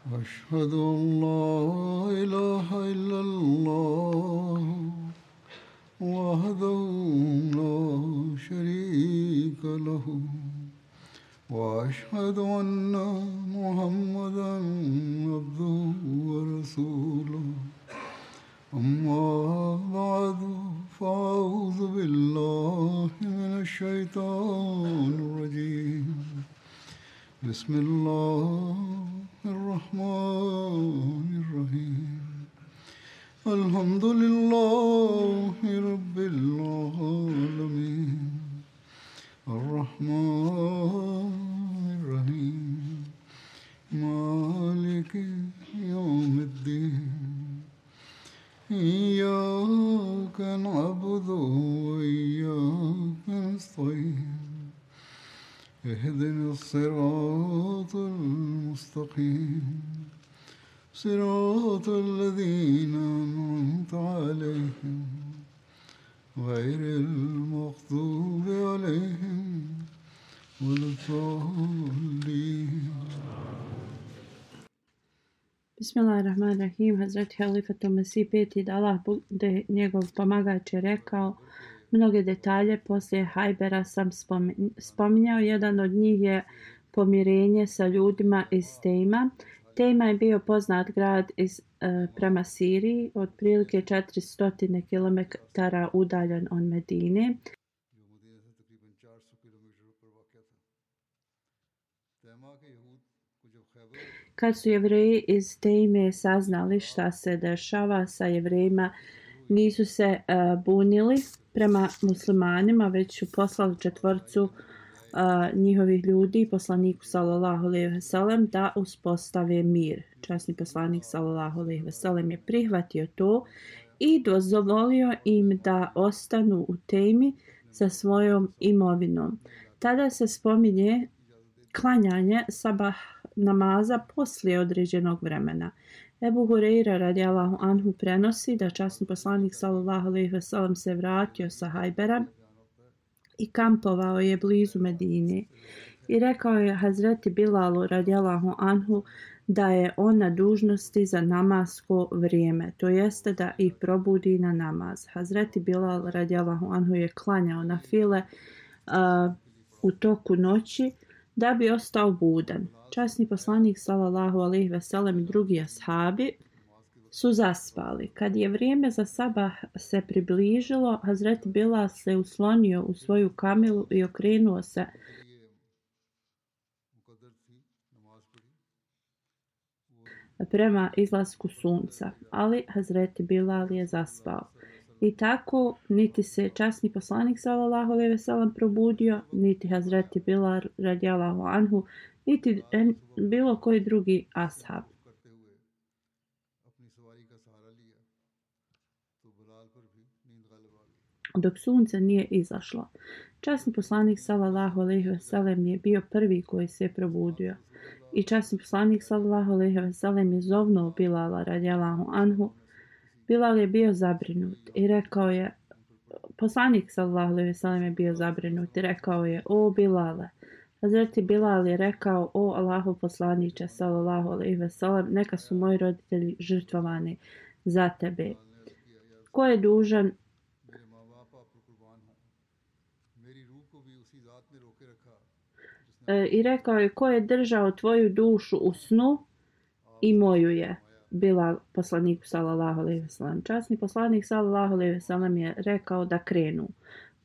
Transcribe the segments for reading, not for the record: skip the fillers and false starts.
أشهد أن لا إله إلا الله وحده لا شريك له وأشهد أن محمدا عبده ورسوله أما بعد فأعوذ بالله من الشيطان الرجيم بسم الله الرحمن الرحيم الحمد لله رب العالمين الرحمن الرحيم مالك يوم الدين إياك نعبد وإياك نستعين اهدنا الصراط المستقيم صراط الذين أنعمت عليهم غير المغضوب عليهم ولا الضالين. Bismillahirrahmanirrahim. Hazreti Halifat Mesih peti da Allah bude njegov pomagač je rekao mnoge detalje poslije Hajbera sam spominjao. Jedan od njih je pomirenje sa ljudima iz Tejma. Tejma je bio poznat grad prema Siriji, otprilike 400 km udaljen od Medine. Kad su Jevreji iz Tejme saznali šta se dešava sa Jevrejima, nisu se bunili prema muslimanima, već su poslali četvorcu njihovih ljudi poslaniku sallallahu alejhi ve sellem da uspostave mir. Časni poslanik sallallahu alejhi ve sellem je prihvatio to i dozvolio im da ostanu u Tejmi sa svojom imovinom. Tada se spominje klanjanje sabah namaza poslije određenog vremena. Ebu Hurejra radijallahu anhu prenosi da časni poslanik sallallahu alejhi ve sellem se vratio sa Hajbera i kampovao je blizu Medine. I rekao je Hazreti Bilalu radijallahu anhu da je on na dužnosti za namasko vrijeme, to jeste da ih probudi na namaz. Hazreti Bilal radijallahu anhu je klanjao na file u toku noći da bi ostao budan. Časni poslanik sallallahu alejhi ve sellem i drugi ashabi su zaspali. Kad je vrijeme za sabah se približilo, Hazreti Bilal se uslonio u svoju kamilu i okrenuo se prema izlasku sunca, ali Hazreti Bilal je zaspao. I tako niti se časni poslanik sallallahu alejhi ve sellem probudio, niti Hazreti Bilal radijallahu anhu, niti bilo koji drugi ashab. Dok sunce nije izašlo. Časni poslanik sallallahu alejhi ve sellem je bio prvi koji se je probudio. I časni poslanik sallallahu alejhi ve sellem je zovnuo Bilala radijallahu anhu. Bilal je bio zabrinut i rekao je, poslanik sallallahu alejhi ve sellem je bio zabrinut i rekao je: "O Bilale." Hazreti Bilal je rekao: "O Allahov poslaniče sallallahu alejhi ve sellem, neka su moji roditelji žrtvovani za tebe. Ko je dužan i rekao je: ko je držao tvoju dušu u snu i moju je." Bilal poslaniku sallallahu alejhi ve sellem. Časni poslanik sallallahu alejhi ve sellem je rekao da krenu.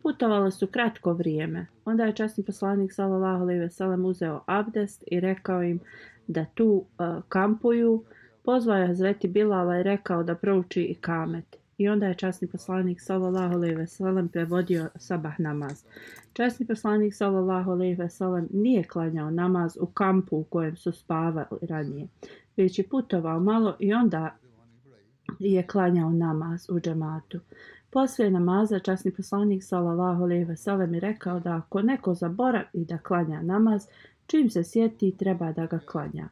Putovali su kratko vrijeme. Onda je časni poslanik sallallahu alejhi ve sellem uzeo abdest i rekao im da tu kampuju. Pozvao je Hazreti Bilala i rekao da prouči ikamet. I onda je časni poslanik sallallahu alejhi ve sellem prevodio sabah namaz. Časni poslanik sallallahu alejhi ve sellem nije klanjao namaz u kampu u kojem su spavali ranije, već je putovao malo i onda je klanjao namaz u džematu. Poslije namaza časni poslanik sallallahu alejhi ve sellem je rekao da ako neko zaboravi da klanja namaz, čim se sjeti treba da ga klanja.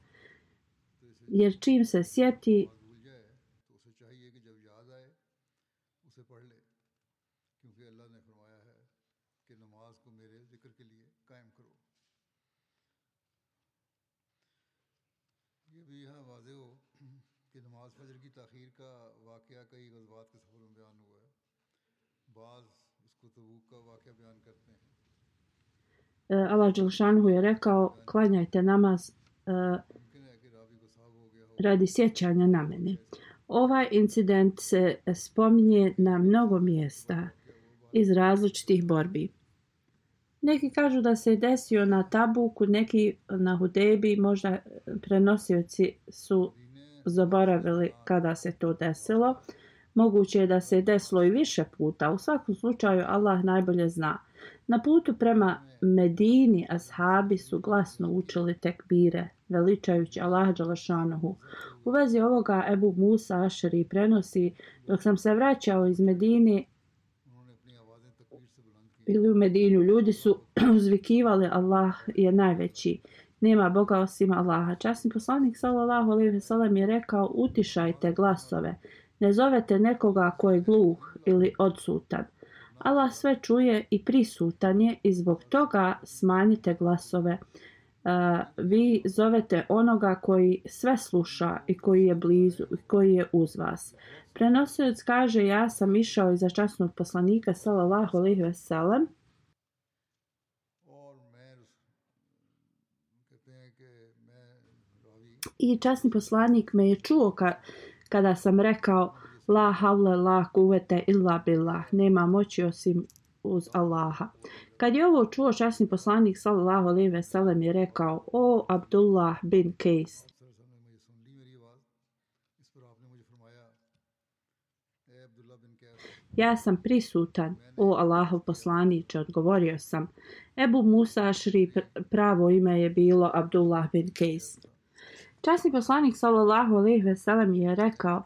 Jer čim se sjeti भी यहाँ वाज़ेह हो कि नमाज फजर की ताख़ीर का वाक़या कई ग़ज़वात के सफ़र में बयान हुआ है। बाज़ इसको तबूक का वाक़या बयान करते हैं। Allah Đelešanu je rekao, klanjajte namaz मुमकिन है कि रावी को साहब हो गया हो radi sjećanja na mene. Ovaj incident se spominje na mnogo mjesta iz različitih borbi. Neki kažu da se desio na Tabuku, neki na Hudejbi, možda prenosioci su zaboravili kada se to desilo. Moguće je da se desilo i više puta. U svakom slučaju Allah najbolje zna. Na putu prema Medini ashabi su glasno učili tekbire, veličajući Allaha Đelešanuhu. U vezi ovoga Ebu Musa Ašari prenosi, dok sam se vraćao iz Medine ili u Medinu, ljudi su uzvikivali Allah je najveći. Nema Boga osim Allaha. Časni poslanik sallallahu alejhi ve sellem je rekao: utišajte glasove. Ne zovete nekoga ko je gluh ili odsutan. Allah sve čuje i prisutan je i zbog toga smanjite glasove. Vi zovete onoga koji sve sluša i koji je blizu i koji je uz vas. Prenosilac kaže: ja sam išao iza časnog poslanika sallallahu alejhi ve sellem i časni poslanik me je čuo kada sam rekao: la havle la kuvete illa billah, nema moći osim uz Allaha. Kad je ovo čuo, časni poslanik sallallahu alejhi ve sellem je rekao: o Abdullah bin Kejs, ja sam prisutan, o Allahov poslaniče, odgovorio sam. Ebu Musa Ašri pravo ime je bilo Abdullah bin Kejs. Časni poslanik sallallahu alejhi ve sellem je rekao: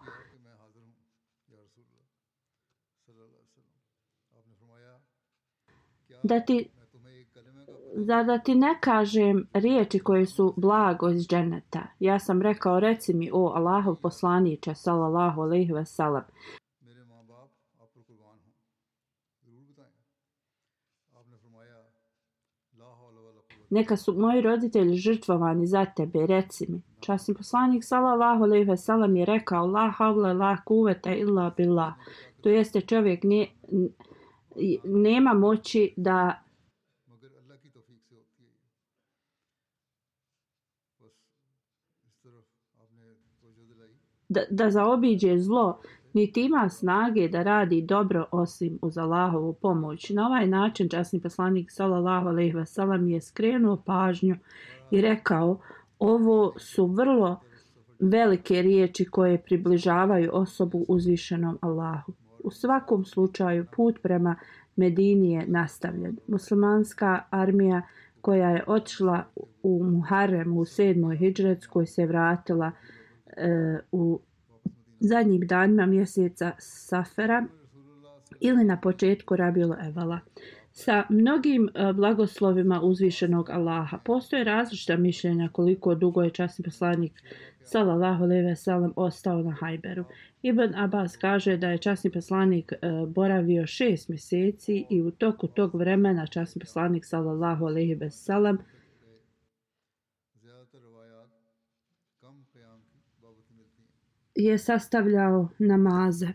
da ti ne kažem riječi koje su blago iz dženeta. Ja sam rekao: reci mi, o Allahov poslaniče sallallahu alejhi ve sellem. Neka su moji roditelji žrtvovani za tebe, reci mi. Časni poslanik sallallahu alejhi ve sellem je rekao: la havle la kuvete illa billah. To jeste, čovjek nema moći da zaobiđe zlo, niti ima snage da radi dobro osim uz Allahovu pomoć. Na ovaj način časni poslanik sallallahu alejhi ve sellem je skrenuo pažnju i rekao: ovo su vrlo velike riječi koje približavaju osobu uzvišenom Allahu. U svakom slučaju put prema Medini je nastavljen. Muslimanska armija koja je otišla u Muharremu u 7. hidžretskoj se vratila u zadnjim danima mjeseca Safera ili na početku Rabiul Evala sa mnogim blagoslovima uzvišenog Allaha. Postoje različita mišljenja koliko dugo je časni poslanik sallallahu alejhi ve sellem ostao na Hajberu. Ibn Abbas kaže da je časni poslanik boravio 6 mjeseci i u toku tog vremena časni poslanik sallallahu alejhi ve sellem je sastavljao namaze.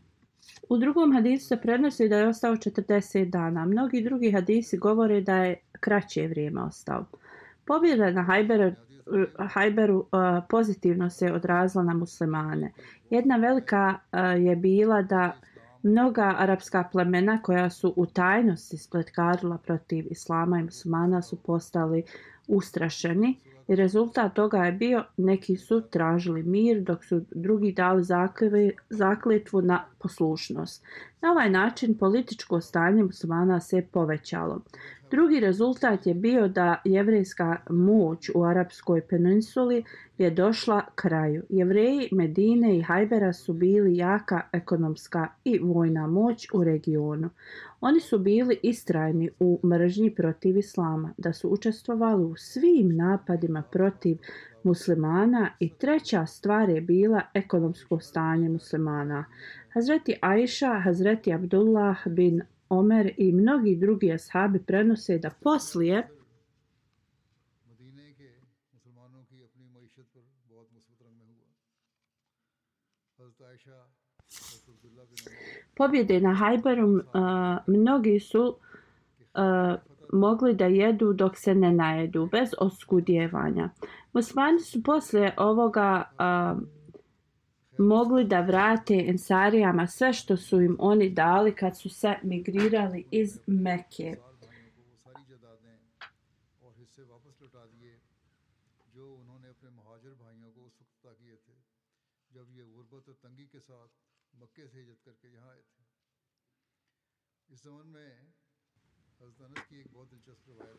U drugom hadisu se prenosi da je ostao 40 dana. Mnogi drugi hadisi govore da je kraće vrijeme ostao. Pobjeda na Hajberu pozitivno se odrazila na muslimane. Jedna velika je bila da mnoga arapska plemena koja su u tajnosti spletkarila protiv islama i muslimana su postali ustrašeni. I rezultat toga je bio: neki su tražili mir, dok su drugi dali zakletvu na poslušnost. Na ovaj način političko stanje muslimana se povećalo. Drugi rezultat je bio da jevrejska moć u Arapskoj peninsuli je došla kraju. Jevreji Medine i Hajbera su bili jaka ekonomska i vojna moć u regionu. Oni su bili istrajni u mržnji protiv islama, da su učestvovali u svim napadima protiv muslimana i treća stvar je bila ekonomsko stanje muslimana. Hazreti Aisha, Hazreti Abdullah bin Omer i mnogi drugi ashabi prenose da poslije pobjede na Hajberu mnogi su mogli da jedu dok se ne najedu, bez oskudijevanja. Muslimani su poslije ovoga mogli da vrate Ensarijama sve što su im oni dali kad su se migrirali iz Mekke.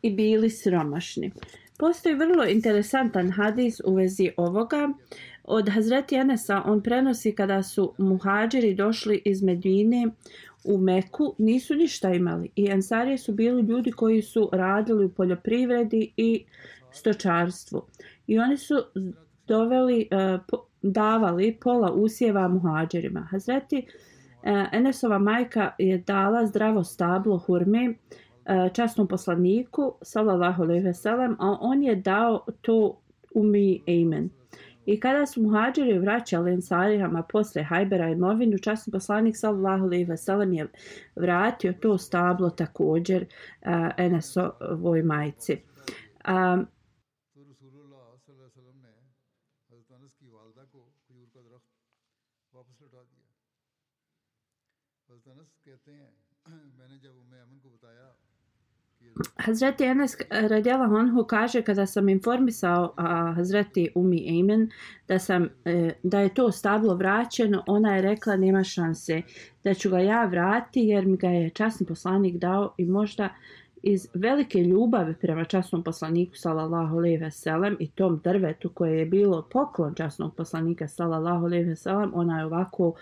I bili siromašni. Postoji vrlo interesantan hadis u vezi ovoga. Od Hazreti Enesa on prenosi kada su muhadžiri došli iz Medine u Meku, nisu ništa imali. I Ensarije su bili ljudi koji su radili u poljoprivredi i stočarstvu. I oni su davali pola usjeva muhadžirima. Hazreti Enesova majka je dala zdravo stablo hurme časnom poslaniku sallallahu alejhi ve sellem, a on je dao to Ummi Ejmen. I kada su muhadžiri vraćali Ensarijama posle Hajbera imovinu, časni poslanik sallallahu alejhi ve sellem je vratio to stablo također Enesovoj majci. Hazreti Enes radijallahu anhu kaže kada sam informisao Hazreti Ummi Ejmen da je to stablo vraćeno, ona je rekla nema šanse da ću ga ja vratiti jer mi ga je časni poslanik dao i možda iz velike ljubavi prema časnom poslaniku sallallahu alejhi ve sellem i tom drvetu koje je bilo poklon časnog poslanika sallallahu alejhi ve sellem, ona je ovako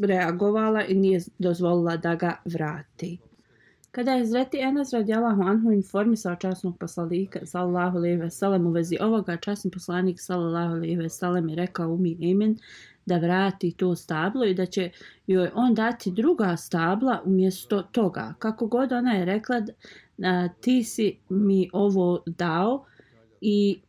reagovala i nije dozvolila da ga vrati. Kada je Hazreti Enes radijallahu anhu informisao časnog poslanika sallallahu alejhi ve sellem u vezi ovoga, časni poslanik sallallahu alejhi ve sellem je rekao Ummi Ejmen da vrati to stablo i da će joj on dati druga stabla umjesto toga. Kako god ona je rekla, ti si mi ovo dao i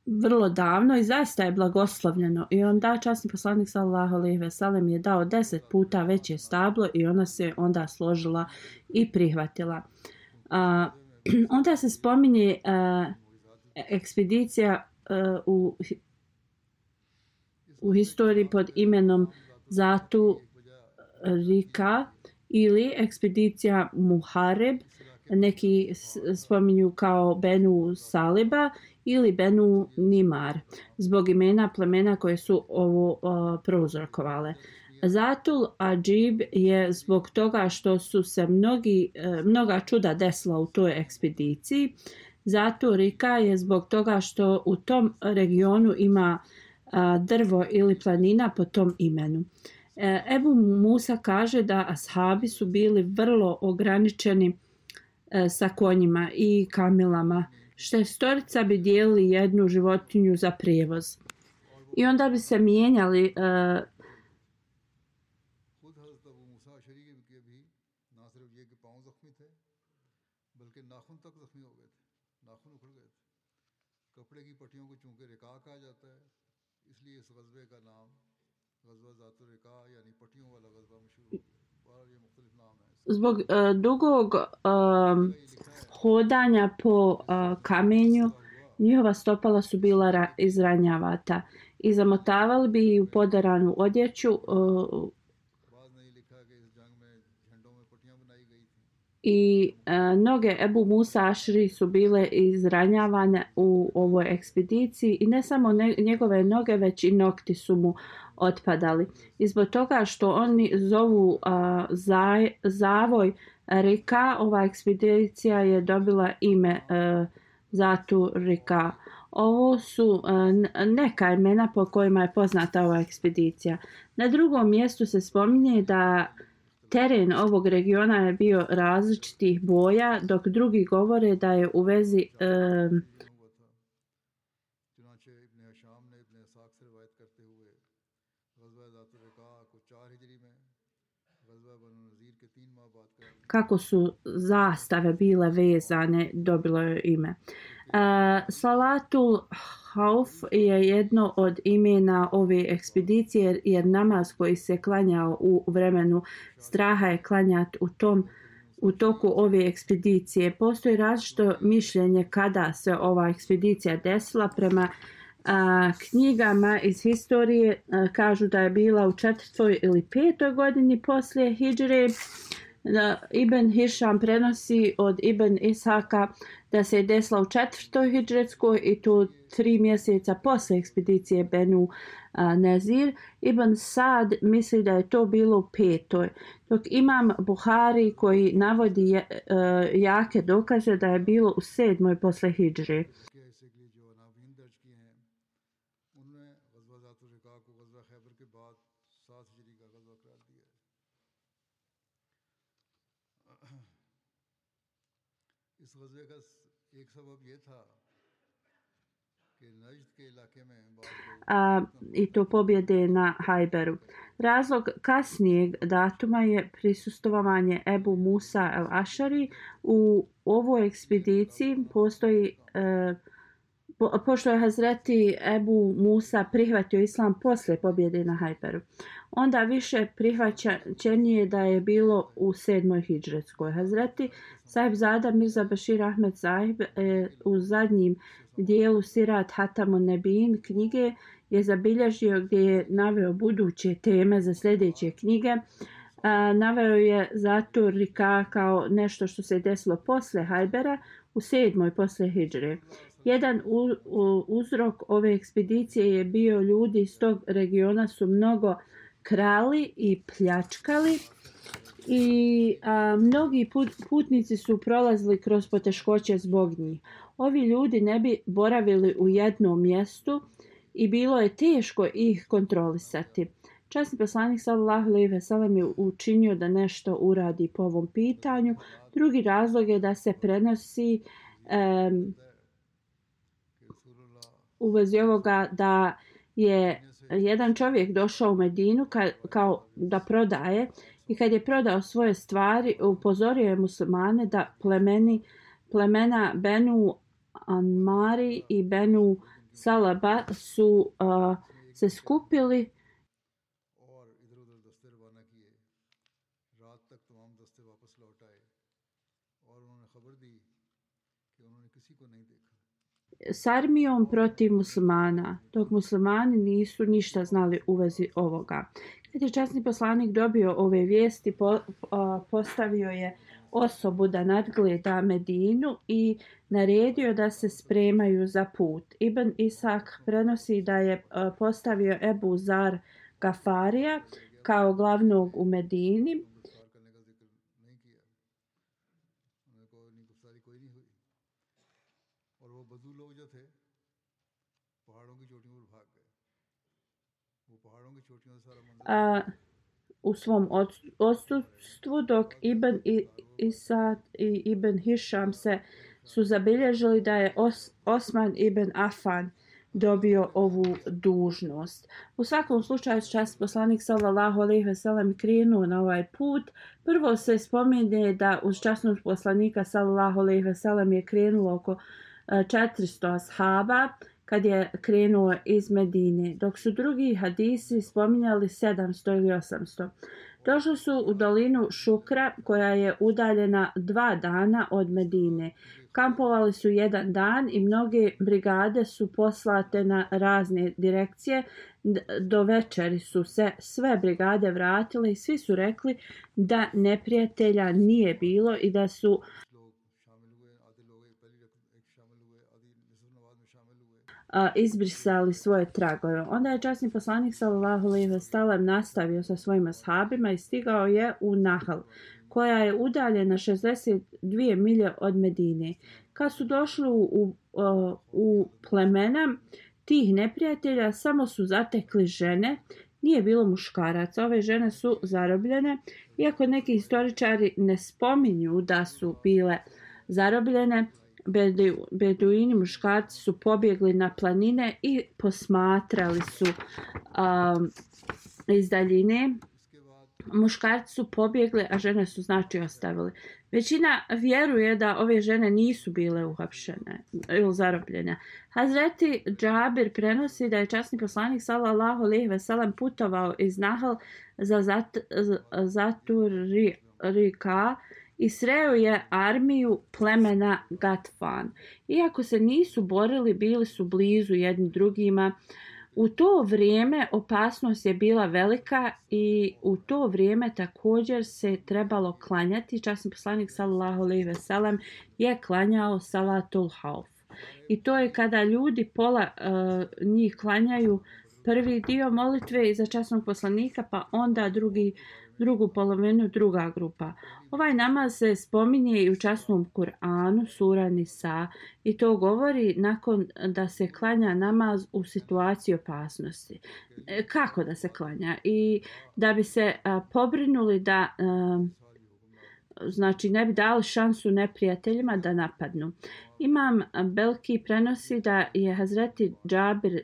vrlo davno i zaista je blagoslovljeno. I onda časni poslanik sallallahu alejhi ve sellem je dao 10 puta veće stablo i ona se onda složila i prihvatila. Onda se spominje ekspedicija u historiji pod imenom Zatu Rika ili ekspedicija Muhareb, neki spominju kao Benu Saliba ili Benu Nimar, zbog imena plemena koje su ovo prouzrokovale. Zatul Adžib je zbog toga što su se mnoga čuda desila u toj ekspediciji. Zatul Rika je zbog toga što u tom regionu ima drvo ili planina po tom imenu. Ebu Musa kaže da ashabi su bili vrlo ograničeni sa konjima i kamilama. Šestorica bi dijelili jednu životinju za prijevoz. I onda bi se mijenjali zbog dugog hodanja po kamenju, njihova stopala su bila izranjavata i zamotavali bi u poderanu odjeću i noge Ebu Musa Ašri su bile izranjavane u ovoj ekspediciji i ne samo njegove noge, već i nokti su mu otpadali. I zbog toga što oni zovu zavoj Rika, ova ekspedicija je dobila ime Zatu Rika. Ovo su neka imena po kojima je poznata ova ekspedicija. Na drugom mjestu se spominje da teren ovog regiona je bio različitih boja, dok drugi govore da je u vezi kako su zastave bile vezane, dobilo je ime. Salatul Hauf je jedno od imena ove ekspedicije jer namaz koji se klanjao u vremenu straha je klanjat u toku ove ekspedicije. Postoji različito mišljenje kada se ova ekspedicija desila. Prema knjigama iz historije kažu da je bila u 4. ili 5. godini poslije hidžre. Ibn Hišam prenosi od Ibn Ishaka da se je desila u 4. hidžretskoj i to 3 mjeseca posle ekspedicije Benu Nezir. Ibn Sad misli da je to bilo u 5. Dok imam Buhari koji navodi jake dokaze da je bilo u 7. posle hidžre. I to pobjede na Hajberu. Razlog kasnijeg datuma je prisustvovanje Ebu Musa el-Ašari. U ovoj ekspediciji postoji pošto je Hazreti Ebu Musa prihvatio islam posle pobjede na Hajberu. Onda više prihvaćenije da je bilo u 7. hidžretskoj. Hazreti Sahib Zada Mirza Bashir Ahmed Sahib u zadnjim dijelu Sirat Hatamun Nebin knjige je zabilježio gdje je naveo buduće teme za sljedeće knjige. Naveo je zato Rika kao nešto što se desilo posle Hajbera u 7. posle hidžre. Jedan uzrok ove ekspedicije je bio ljudi iz tog regiona su mnogo krali i pljačkali i mnogi putnici su prolazili kroz poteškoće zbog njih. Ovi ljudi ne bi boravili u jednom mjestu i bilo je teško ih kontrolisati. Časni poslanik sallallahu alejhi ve sellem je učinio da nešto uradi po ovom pitanju. Drugi razlog je da se prenosi u vezi ovoga da je jedan čovjek došao u Medinu kao da prodaje i kad je prodao svoje stvari upozorio je muslimane da plemena Benu Anmari i Benu Salaba su se skupili s armijom protiv muslimana, dok muslimani nisu ništa znali u vezi ovoga. Kad je časni poslanik dobio ove vijesti, postavio je osobu da nadgleda Medinu i naredio da se spremaju za put. Ibn Isak prenosi da je postavio Ebu Zar Gafarija kao glavnog u Medini. U svom odsustvu, dok Ibn Isad i Ibn Hišam su zabilježili da je Osman ibn Affan dobio ovu dužnost. U svakom slučaju časni poslanik sallallahu alejhi ve sellem krenuo na ovaj put. Prvo se spominje da uz časnog poslanika sallallahu alejhi ve sellem je krenulo oko 400 ashaba kad je krenuo iz Medine, dok su drugi hadisi spominjali 700 ili 800. Došli su u dolinu Šukra koja je udaljena 2 dana od Medine. Kampovali su 1 dan i mnoge brigade su poslate na razne direkcije. Do večeri su se sve brigade vratile i svi su rekli da neprijatelja nije bilo i da su izbrisali svoje tragove. Onda je časni poslanik sallallahu alejhi ve sellem nastavio sa svojim ashabima i stigao je u Nahl, koja je udaljena 62 milje od Medine. Kad su došli u plemena tih neprijatelja, samo su zatekli žene, nije bilo muškaraca. Ove žene su zarobljene, iako neki historičari ne spominju da su bile zarobljene. Beduini muškarci su pobjegli na planine i posmatrali su iz daljine muškarci su pobjegli, a žene su znači ostavili. Većina vjeruje da ove žene nisu bile uhapšene ili zarobljene. Hazreti Džabir prenosi da je časni poslanik sallallahu alejhi ve sellem putovao iz Nahl za Zaturika i sreo je armiju plemena Gatfan. Iako se nisu borili, bili su blizu jedni drugima. U to vrijeme opasnost je bila velika i u to vrijeme također se trebalo klanjati. Časni poslanik sallallahu alejhi ve sellem je klanjao salatul hauf. I to je kada ljudi pola njih klanjaju prvi dio molitve iza časnog poslanika, pa onda drugu polovinu druga grupa. Ovaj namaz se spominje i u časnom Kur'anu, sura Nisa, i to govori nakon da se klanja namaz u situaciji opasnosti. Kako da se klanja? I da bi se pobrinuli da znači ne bi dali šansu neprijateljima da napadnu. Imam Belki prenosi da je Hazreti Džabir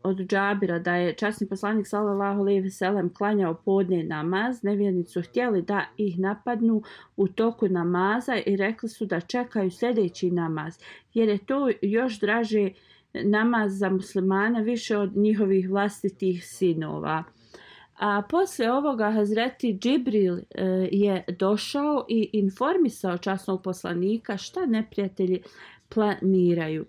od Džabira da je časni poslanik sallallahu alejhi ve sellem klanjao podne namaz. Nevjernici su htjeli da ih napadnu u toku namaza i rekli su da čekaju sljedeći namaz, jer je to još draže namaz za muslimane više od njihovih vlastitih sinova. A poslije ovoga Hazreti Džibril je došao i informisao časnog poslanika šta neprijatelji planiraju.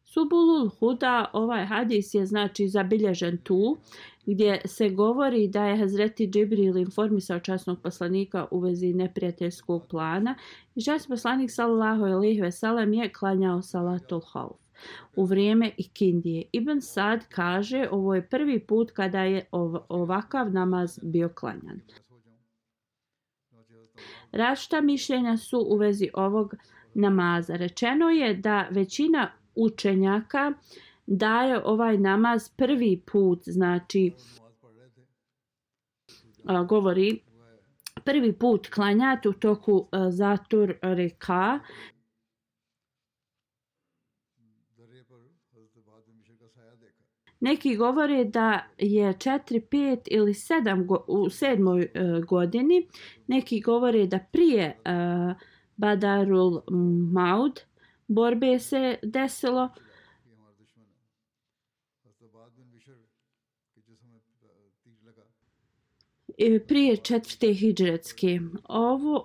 Subulul Huda, ovaj hadis je znači zabilježen tu, gdje se govori da je Hazreti Džibril informisao časnog poslanika u vezi neprijateljskog plana i časni poslanik sallallahu alejhi ve sellem je klanjao salatul hauf u vrijeme ikindije. Ibn Sad kaže ovo je prvi put kada je ovakav namaz bio klanjan. Različita mišljenja su u vezi ovog namaza. Rečeno je da većina učenjaka daje ovaj namaz prvi put, znači govori prvi put klanjati u toku Zatur Rika. Neki govore da je 4, 5 ili 7 u 7. godini. Neki govore da prije Badarul Maud borbe se desilo. Prije 4. hidžretske.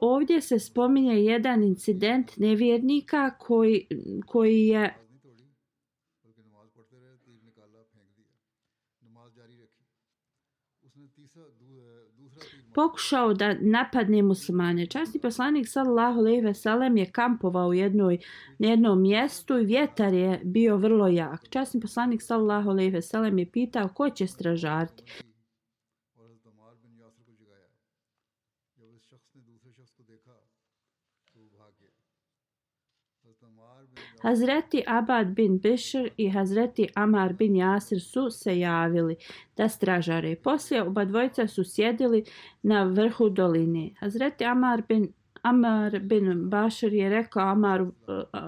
Ovdje se spominje jedan incident nevjernika koji je pokušao da napadne muslimane. Časni poslanik sallallahu alejhi ve sellem je kampovao u jednom mjestu i vjetar je bio vrlo jak. Časni poslanik sallallahu alejhi ve sellem je pitao ko će stražariti. Hazreti Abad bin Bishr i Hazreti Amar bin Jasir su se javili da stražare. Poslije oba dvojica su sjedili na vrhu doline. Hazreti Amar bin Bašir je rekao Amaru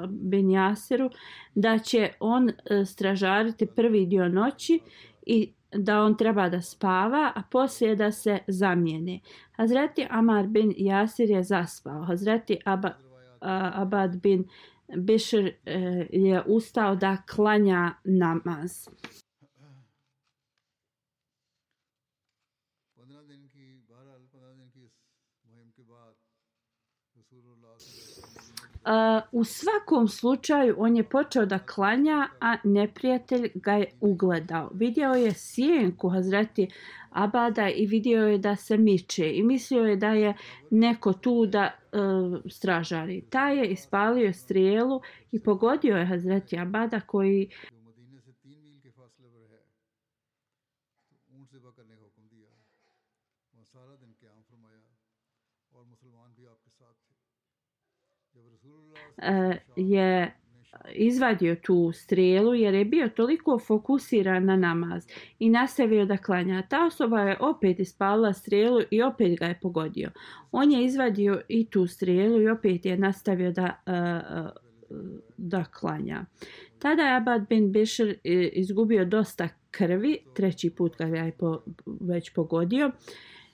bin Jasiru da će on stražariti prvi dio noći i da on treba da spava, a poslije da se zamijene. Hazreti Amar bin Jasir je zaspao. Hazreti Abad bin Bishr je ustao da klanja namaz. U svakom slučaju on je počeo da klanja, a neprijatelj ga je ugledao. Vidio je sjenku Hazreti Abada i vidio je da se miče i mislio je da je neko tu da stražari. Taj je ispalio strijelu i pogodio je Hazreti Abada koji je izvadio tu strijelu jer je bio toliko fokusiran na namaz i nastavio da klanja. Ta osoba je opet ispalila strijelu i opet ga je pogodio. On je izvadio i tu strijelu i opet je nastavio da da klanja. Tada je Abad bin Bišr izgubio dosta krvi, treći put kad je već pogodio,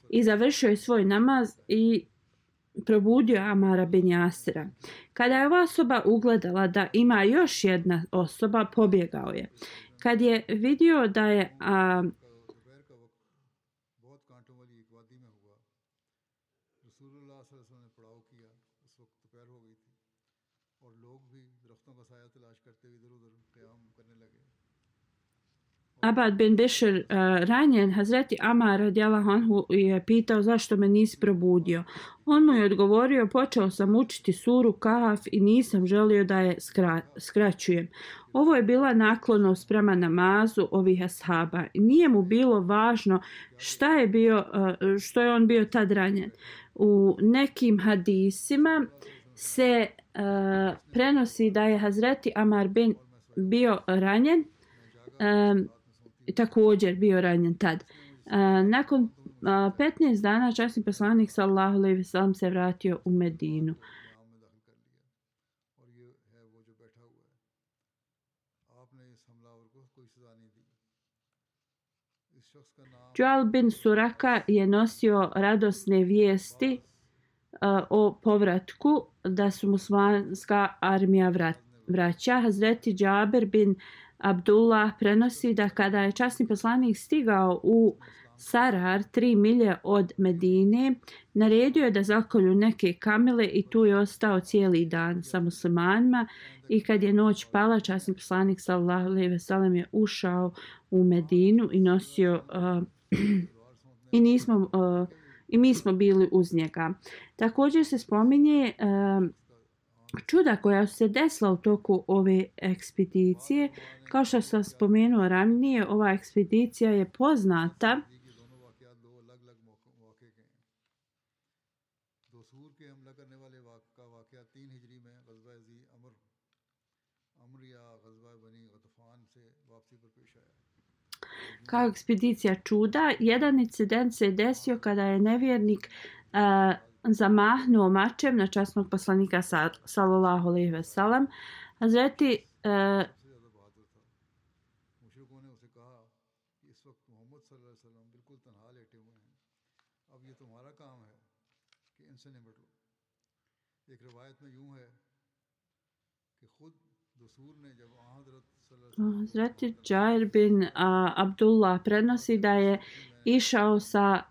i završio je svoj namaz i probudio Amara bin Jasira. Kada je ova osoba ugledala da ima još jedna osoba, pobjegao je. Kad je vidio da je Abad bin Bišr ranjen, Hazreti Amar radijallahu anhu je pitao zašto me nisi probudio. On mu je odgovorio, počeo sam učiti suru Kahf i nisam želio da je skraćujem. Ovo je bila naklonost prema namazu ovih ashaba. Nije mu bilo važno što je on bio tad ranjen. U nekim hadisima se prenosi da je Hazreti Amar bio ranjen, također bio ranjen tad. Nakon 15 dana časni poslanik sallallahu alejhi ve sellem se vratio u Medinu. Džual bin Suraka je nosio radosne vijesti o povratku da su muslimanska armija vraća. Hazreti Džaber bin Abdullah prenosi da kada je časni poslanik stigao u Sarar 3 milje od Medine, naredio je da zakolju neke kamile i tu je ostao cijeli dan sa muslimanima, i kad je noć pala, časni poslanik sallallahu alejhi ve sellem je ušao u Medinu i nosio i mi smo bili uz njega. Također se spominje čuda koja su se desila u toku ove ekspedicije. Kao što sam spomenuo ranije, ova ekspedicija je poznata kao ekspedicija čuda. Jedan incident se desio kada je nevjernik zamahnuo mačem na časnog poslanika sallallahu alejhi ve sellem. Hazreti Hazreti Džair bin Abdullah prenosi da je išao sa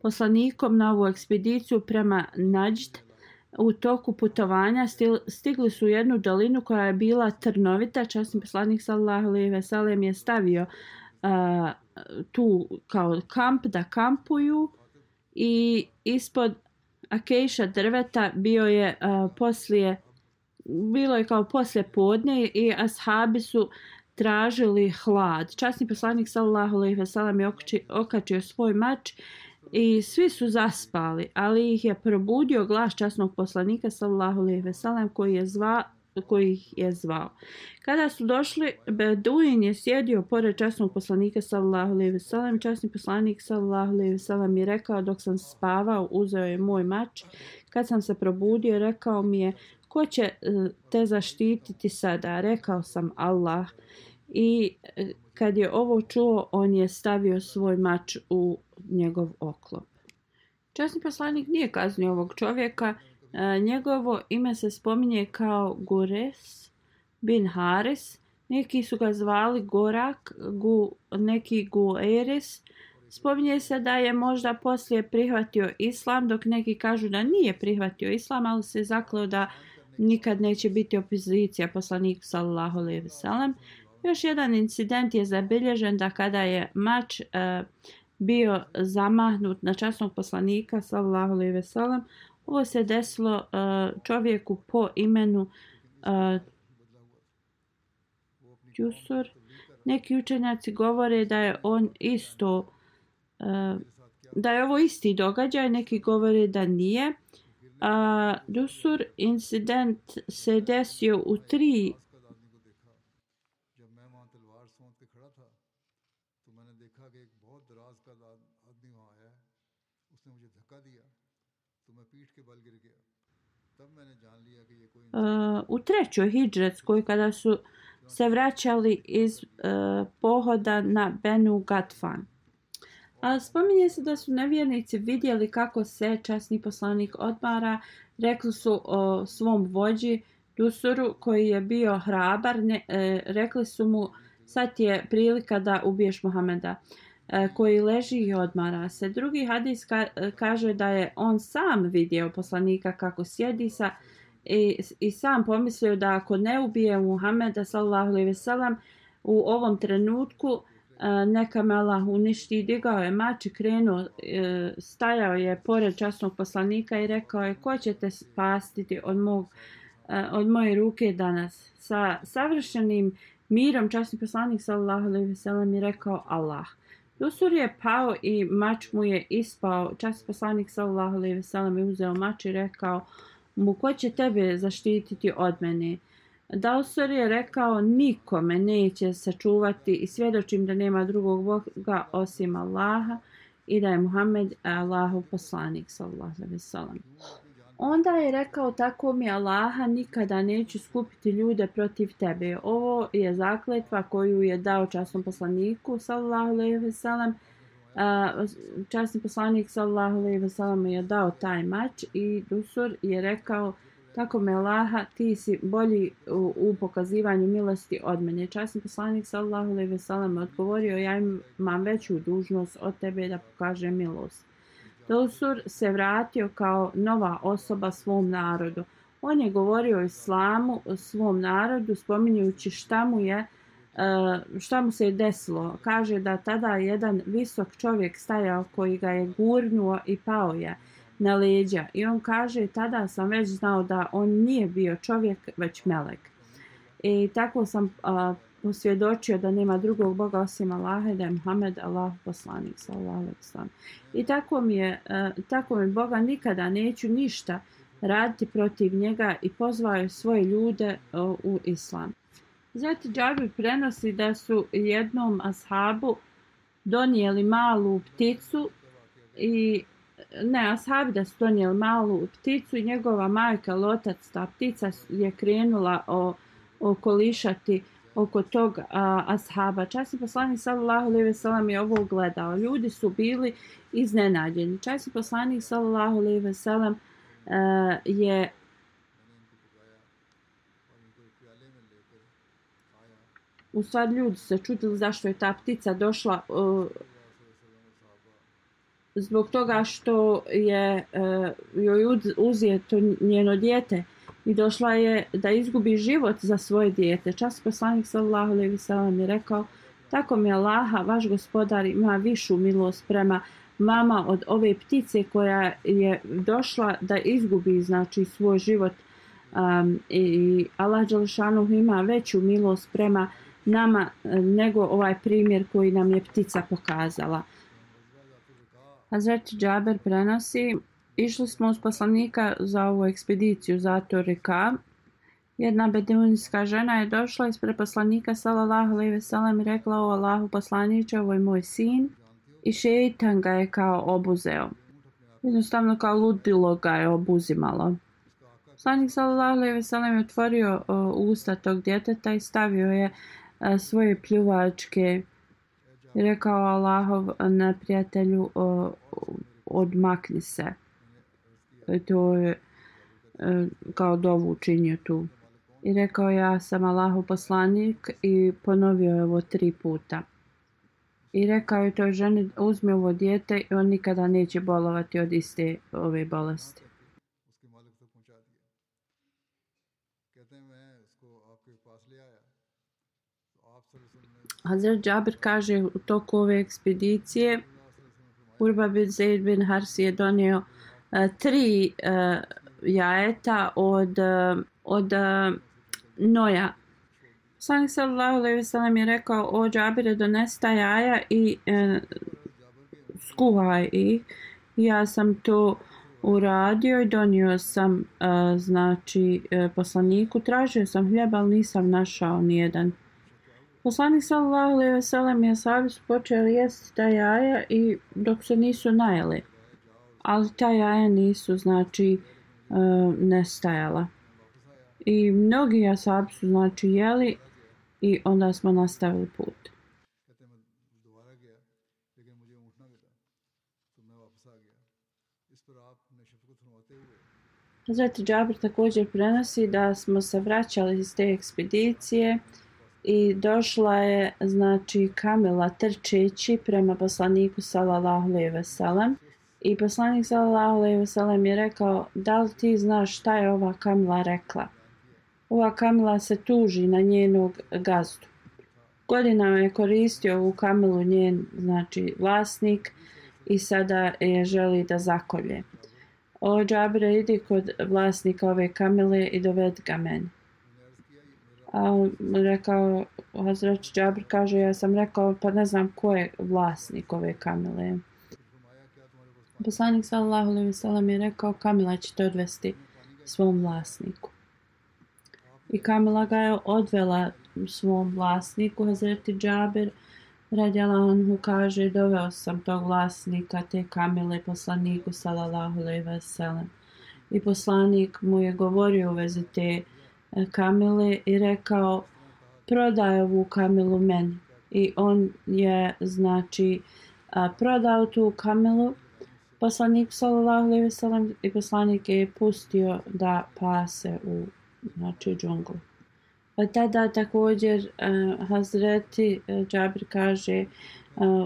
poslanikom na ovu ekspediciju prema Najd. U toku putovanja stigli su u jednu dolinu koja je bila trnovita. Časni poslanik sallallahu alejhi ve sellem je stavio tu kao kamp da kampuju, i ispod akejša drveta bilo je kao poslije podne i ashabi su tražili hlad. Časni poslanik sallallahu alejhi ve sellem je okačio svoj mač i svi su zaspali, ali ih je probudio glas časnog poslanika sallallahu alejhi ve sellem koji ih je zvao. Kada su došli, Beduin je sjedio pored časnog poslanika sallallahu alejhi ve sellem. Časni poslanik sallallahu alejhi ve sellem je rekao, dok sam spavao, uzeo je moj mač. Kad sam se probudio, rekao mi je, ko će te zaštititi sada? Rekao sam, Allah. I kad je ovo čuo, on je stavio svoj mač u njegov oklop. Časni poslanik nije kaznio ovog čovjeka. Njegovo ime se spominje kao Gures bin Haris. Neki su ga zvali Gorak, neki Gueris. Spominje se da je možda poslije prihvatio islam, dok neki kažu da nije prihvatio islam, ali se zakleo da nikad neće biti opozicija poslaniku sallallahu alejhi ve sellem. Još jedan incident je zabilježen da kada je mač bio zamahnut na časnog poslanika sallallahu alejhi ve sellem, ovo se desilo čovjeku po imenu Jusur. Neki učenjaci govore da je on isto da je ovo isti događaj, neki govore da nije. Jusur incident se desio u 3 तो मैं पीठ के बल गिर गया u trećoj hidžretskoj, kada su se vraćali iz pohoda na Benu Gatfan. A spominje se da su nevjernici vidjeli kako se časni poslanik odmara. Rekli su o svom vođi Dusuru, koji je bio hrabar, rekli su mu: sad je prilika da ubiješ Muhameda, koji leži i odmara se. Drugi hadis kaže da je on sam vidio poslanika kako sjedi i sam pomislio da ako ne ubije Muhameda sallallahu alejhi ve sellem u ovom trenutku, neka me Allah uništi. Digao je mač i krenuo, stajao je pored časnog poslanika i rekao je: ko će te spasiti od moje ruke danas? Sa savršenim mirom časni poslanik sallallahu alejhi ve sellem je rekao: Allah. Dusur je pao i mač mu je ispao. Časni poslanik sallallahu alejhi ve sellem je uzeo mač i rekao mu: ko će tebe zaštititi od mene? Dusur je rekao: niko me neće sačuvati i svjedočim da nema drugog Boga osim Allaha i da je Muhammed Allahov poslanik sallallahu alejhi ve sellem. Onda je rekao: tako mi Allaha, nikada neću skupiti ljude protiv tebe. Ovo je zakletva koju je dao časnom poslaniku sallallahu alejhi ve sellem. Časni poslanik sallallahu alejhi ve sellem je dao taj mač i Dusur je rekao: tako me Allaha, ti si bolji u pokazivanju milosti od mene. Časni poslanik sallallahu alejhi ve sellem odgovorio: ja imam veću dužnost od tebe da pokažem milost. Dusur se vratio kao nova osoba svom narodu. On je govorio o islamu svom narodu, spominjujući šta mu se je desilo. Kaže da tada jedan visok čovjek stajao koji ga je gurnuo i pao je na leđa. I on kaže: tada sam već znao da on nije bio čovjek, već melek. I tako sam posvjedočio da nema drugog Boga osim Allaha, da je Muhammed Allahov poslanik sallallahu alejhi ve sellem. I tako mi Boga nikada neću ništa raditi protiv njega, i pozvao je svoje ljude u islam. Zatim Džabir prenosi da su jednom ashabu donijeli malu pticu da su donijeli malu pticu i njegova majka lotac. Ta ptica je krenula okolišati oko tog ashaba. Časni poslanik sallallahu alejhi ve sellem je ovo gledao. Ljudi su bili iznenađeni. Časni poslanik sallallahu alejhi ve sellem je u stvari ljudi se čudili zašto je ta ptica došla, zbog toga što je joj uzeto njeno dijete i došla je da izgubi život za svoje dijete. Časni poslanik sallallahu alejhi ve sellem je rekao: tako mi Allaha, vaš gospodar ima višu milost prema vama od ove ptice koja je došla da izgubi svoj život, i Allah dželešanu ima veću milost prema nama nego ovaj primjer koji nam je ptica pokazala. Hazret Džaber prenosi: išli smo uz poslanika za ovu ekspediciju Zator Rika. Jedna beduinska žena je došla ispred poslanika sallallahu alejhi ve sellem i rekla: o Allahu poslaniče, ovo je moj sin. I šejtan ga je kao obuzeo. Jednostavno kao ludilo ga je obuzimalo. Poslanik sallallahu alejhi ve sellem je otvorio usta tog djeteta i stavio je svoje pljuvačke i rekao: Allahov neprijatelju, odmakni se. To je kao dovu učinio tu. I rekao: ja sam Allahov poslanik, i ponovio je ovo 3 puta. I rekao je toj ženi: uzmi ovo dijete i on nikada neće bolovati od iste ove bolesti. Hazret Džabir kaže: u toku ove ekspedicije Urba bin Zaid bin Harsi je donio 3 jajeta od noja. Poslanik sallallahu alejhi ve sellem je rekao: o Džabire, donesi ta jaja i skuvaj ih. Ja sam to uradio i donio sam poslaniku. Tražio sam hljeba, ali nisam našao nijedan. Poslanik sallallahu alejhi ve sellem i ashabi su počeli jesti ta jaja i dok se nisu najeli. Ali ta jaja nisu nestajala. I mnogi ashabi su znači jeli i onda smo nastavili put. Hazreti Džabir također prenosi da smo se vraćali iz te ekspedicije i došla je znači kamila trčeći prema poslaniku sallallahu alejhi ve sellem i poslanik sallallahu alejhi ve sellem je rekao: da li ti znaš šta je ova kamila rekla? Ova kamila se tuži na njenog gazdu. Godinama je koristio ovu kamilu njen znači vlasnik i sada je želi da zakolje. O Džabire, idi kod vlasnika ove kamile i dovedi ga meni. A rekao, Hazret Džabir kaže, ja sam rekao, pa ne znam ko je vlasnik ove kamile. Poslanik sallallahu alejhi ve sellem je rekao, kamila će te odvesti svom vlasniku. I kamila ga je odvela svom vlasniku. Hazreti Džabir radijallahu anhu kaže, doveo sam tog vlasnika te kamile poslaniku sallallahu alejhi ve sellem. I poslanik mu je govorio u vezi te kamile i rekao: prodaj ovu kamilu meni. I on je znači prodao tu kamilu poslaniku sallallahu alejhi ve sellem i poslanik je pustio da pase u znači džunglu. Tada također Hazreti Džabir kaže,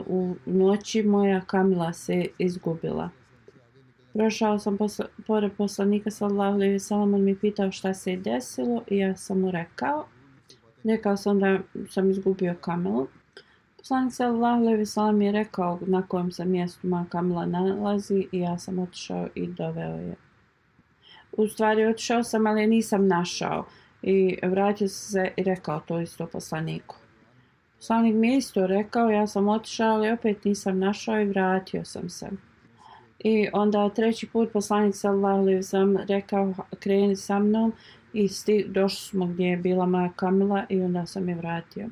u noći moja kamila se izgubila. Prošao sam pored poslanika sallallahu alejhi ve sellem, on mi pitao šta se je desilo i ja sam mu rekao sam da sam izgubio kamilu. Poslanik sallallahu alejhi ve sellem je rekao na kojem se mjestu moja kamila nalazi i ja sam otišao i doveo je. U stvari otišao sam, ali nisam našao. I vratio se i rekao to isto poslaniku. Poslanik mi je isto rekao, ja sam otišao, ali opet nisam našao i vratio sam se. I onda treći put poslanik sallallahu alejhi ve sellem rekao, kreni sa mnom i došli smo gdje je bila moja kamila i onda sam je vratio.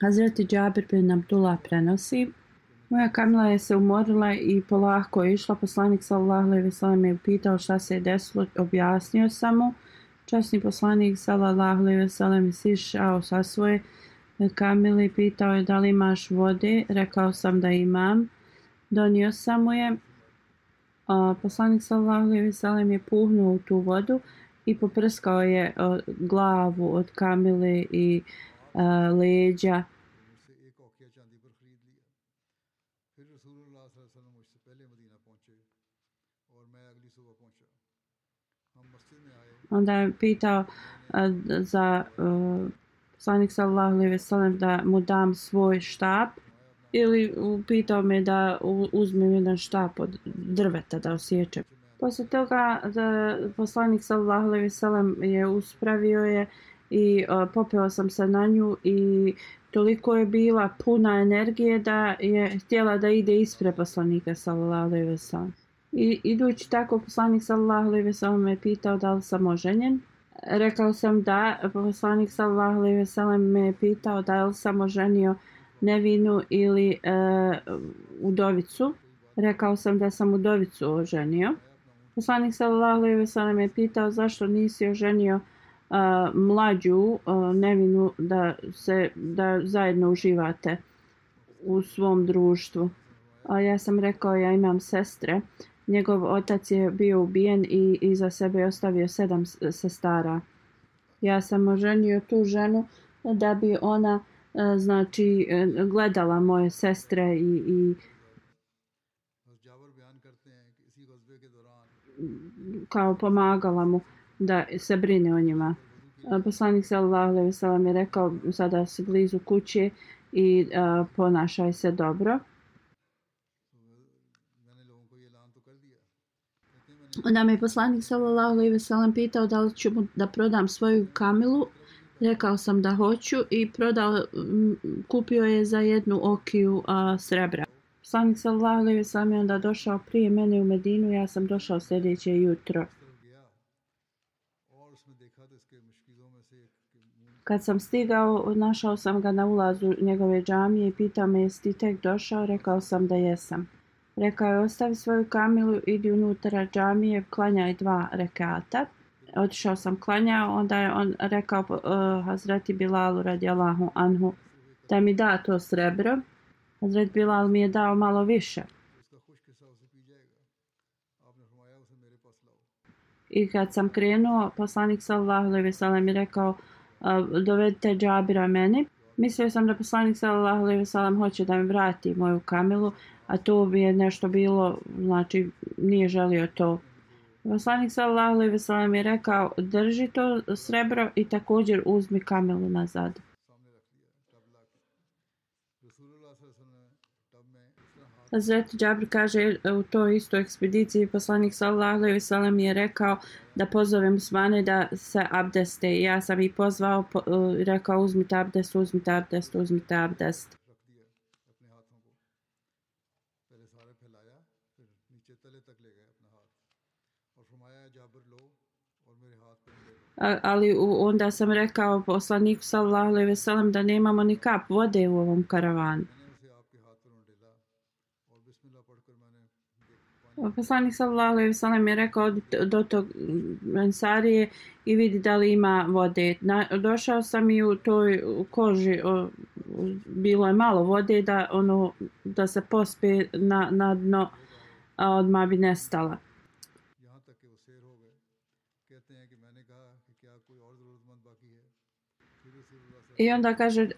Hazreti Džabir bin Abdullah prenosi, moja kamila je se umorila i polako je išla. Poslanik sallallahu alejhi ve sellem je pitao šta se je desilo, objasnio sam mu. Časni poslanik sallallahu alejhi ve sellem je sišao sa svoje kamile i pitao je da li imaš vode. Rekao sam da imam. Donio sam mu je. Poslanik sallallahu alejhi ve sellem je puhnuo u tu vodu i poprskao je glavu od kamile i leđa. Onda je pitao za poslanik sallallahu alejhi ve sellem da mu dam svoj štap ili pitao me da uzmem jedan štap od drveta da osječem. Poslije toga poslanik sallallahu alejhi ve sellem je uspravio je i popeo sam se na nju i toliko je bila puna energije da je htjela da ide ispred poslanika sallallahu alejhi ve sellem. I idući tako poslanik sallallahu alejhi ve sellem me pitao da li sam oženjen. Rekao sam da. Poslanik sallallahu alejhi ve sellem me pitao da li sam oženio nevinu ili udovicu. Rekao sam da sam udovicu oženio. Poslanik sallallahu alejhi ve sellem me pitao zašto nisi oženio mlađu nevinu da zajedno uživate u svom društvu. Ja sam rekao ja imam sestre. Njegov otac je bio ubijen i iza sebe je ostavio 7 sestara. Ja sam oženio tu ženu da bi ona znači gledala moje sestre i kao pomagala mu da se brine o njima. Poslanik sallallahu alejhi ve sellem je rekao sada si blizu kuće i ponašaj se dobro. Onda me poslanik sallallahu alejhi ve sellem pitao da li ću mu da prodam svoju kamilu. Rekao sam da hoću i kupio je za 1 okiju srebra. Poslanik sallallahu alejhi ve sellem je onda došao prije mene u Medinu, ja sam došao sljedeće jutro. Kad sam stigao, našao sam ga na ulazu njegove džamije i pitao me jesi ti tek došao, rekao sam da jesam. Rekao je ostavi svoju kamilu, idi unutra džamije, klanjaj 2 rekata. Otišao sam klanjao, onda je on rekao Hazreti Bilalu radijallahu anhu da mi da to srebro. Hazret Bilal mi je dao malo više. I kad sam krenuo, poslanik sallallahu alejhi ve sellem je rekao dovedite Džabira meni. Mislio sam da poslanik sallallahu alejhi ve sellem hoće da mi vrati moju kamilu, a to bi je nešto bilo, znači nije želio to. Poslanik sallallahu alejhi ve sellem je rekao drži to srebro i također uzmi kamilu nazad. Hazret Džabir kaže u toj istoj ekspediciji poslanik sallallahu alejhi ve sellem je rekao da pozove muslimane da se abdeste. Ja sam ih pozvao i rekao uzmite abdest, uzmite abdest, uzmite abdest. Ali onda sam rekao poslaniku sallallahu alejhi ve sellem da nemamo ni kap vode u ovom karavanu. Poslanik sallallahu alejhi ve sellem je rekao do tog Ensarije i vidi da li ima vode. Došao sam i u toj koži bilo je malo vode da se pospe na dno, a odmah bi nestala. I onda kaže,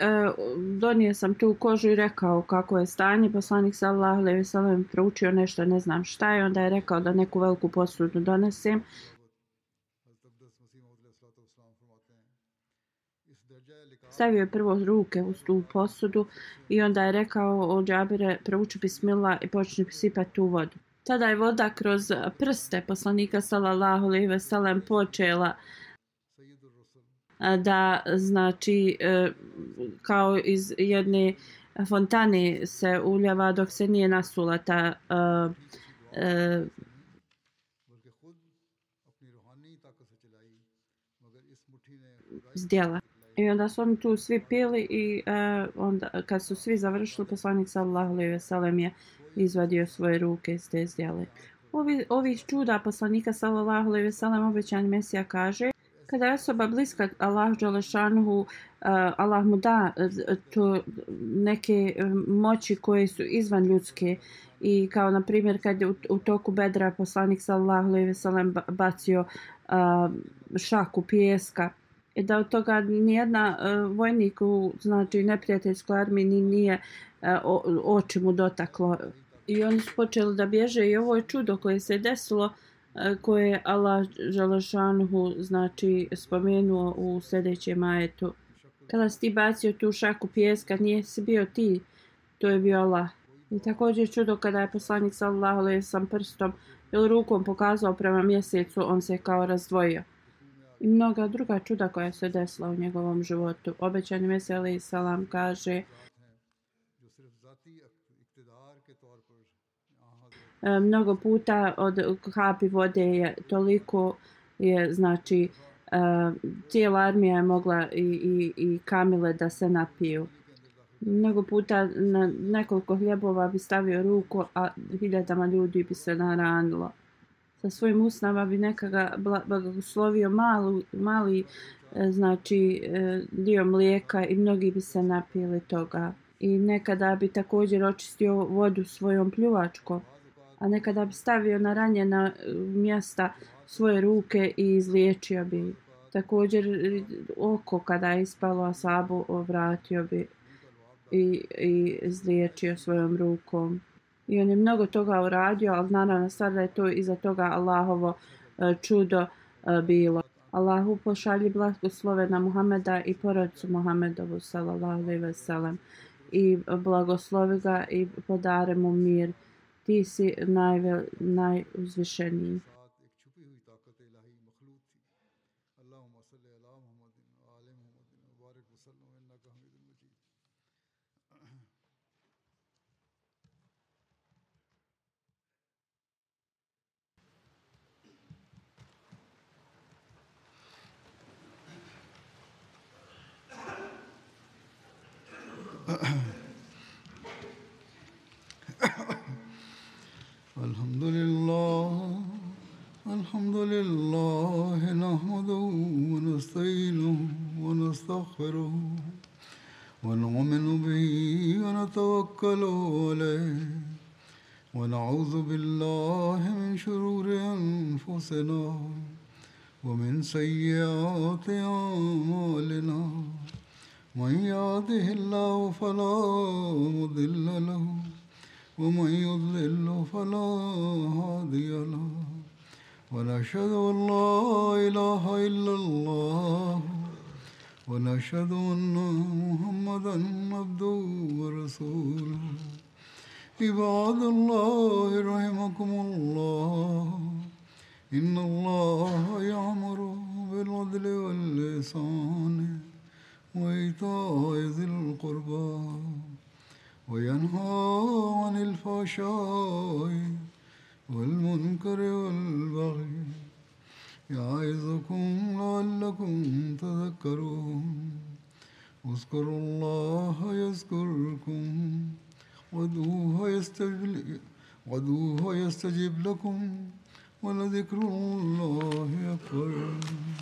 donio sam tu kožu i rekao kako je stanje. Poslanik sallallahu alejhi ve sellem proučio nešto, ne znam šta je. Onda je rekao da neku veliku posudu donesem. Stavio je prvo ruke u tu posudu i onda je rekao o Džabire prouči bismillah i počni sipati tu vodu. Tada je voda kroz prste poslanika sallallahu alejhi ve sellem počela da znači kao iz jedne fontane se uljeva dok se nije nasula ta zdjela. I onda su oni tu svi pili i onda kad su svi završili poslanik sallallahu alejhi ve sellem je izvadio svoje ruke iz te zdjele. Ovih čuda poslanika sallallahu alejhi ve sellem obećani Mesija kaže kada je osoba bliska Allahu dželešanuhu, Allah mu da to neke moći koje su izvan ljudske i kao na primjer kad je u toku Bedra poslanik sallallahu alejhi ve sellem bacio šaku pijeska i da od toga nijedna vojnik u znači neprijateljskoj armiji nije oči mu dotaklo i oni su počeli da bježe i ovo je čudo koje se desilo koje je Allah dželešanuhu znači spomenuo u sljedećem ajetu. Kada si ti bacio tu šaku pijeska, nije si bio ti, to je bio Allah. I također čudo kada je poslanik sallallahu alejhi ve sellem prstom ili rukom pokazao prema mjesecu, on se kao razdvojio. I mnoga druga čuda koja se desila u njegovom životu. Obećani Mesija alejhi selam kaže mnogo puta od kapi vode je toliko je znači cijela armija je mogla i kamile da se napiju. Mnogo puta na nekoliko hljebova bi stavio ruku, a hiljadama ljudi bi se naranilo. Sa svojim usnama bi nekada blagoslovio mali znači dio mlijeka i mnogi bi se napili toga. I nekada bi također očistio vodu svojom pljuvačkom, a nekada bi stavio na ranjena mjesta svoje ruke i izliječio bi. Također oko kada je ispalo asabu vratio bi i izliječio svojom rukom. I on je mnogo toga uradio, ali naravno sada je to iza toga Allahovo čudo bilo. Allahu pošalji blagoslove na Muhameda i porodicu Muhamedovu sallallahu alejhi ve sellem i blagoslovi ga i podare mu mir. Ti si najuzvišeniji. الحمد لله نحمده ونستعينه ونستغفره ونؤمن به ونتوكل عليه ونعوذ بالله من شرور أنفسنا ومن سيئات أعمالنا من يهده الله فلا مضل له ومن يضلل فلا هادي له ونشهد أن لا إله إلا الله ونشهد أن محمدا عبده ورسوله عباد الله رحمكم الله إن الله يأمر بالعدل والإحسان وإيتاء ذي القربى وينهى عن الفحشاء والمنكر والبغي يعظكم لعلكم تذكرون اذكروا الله يذكركم وادعوه يستجب لكم ولذكر الله أكبر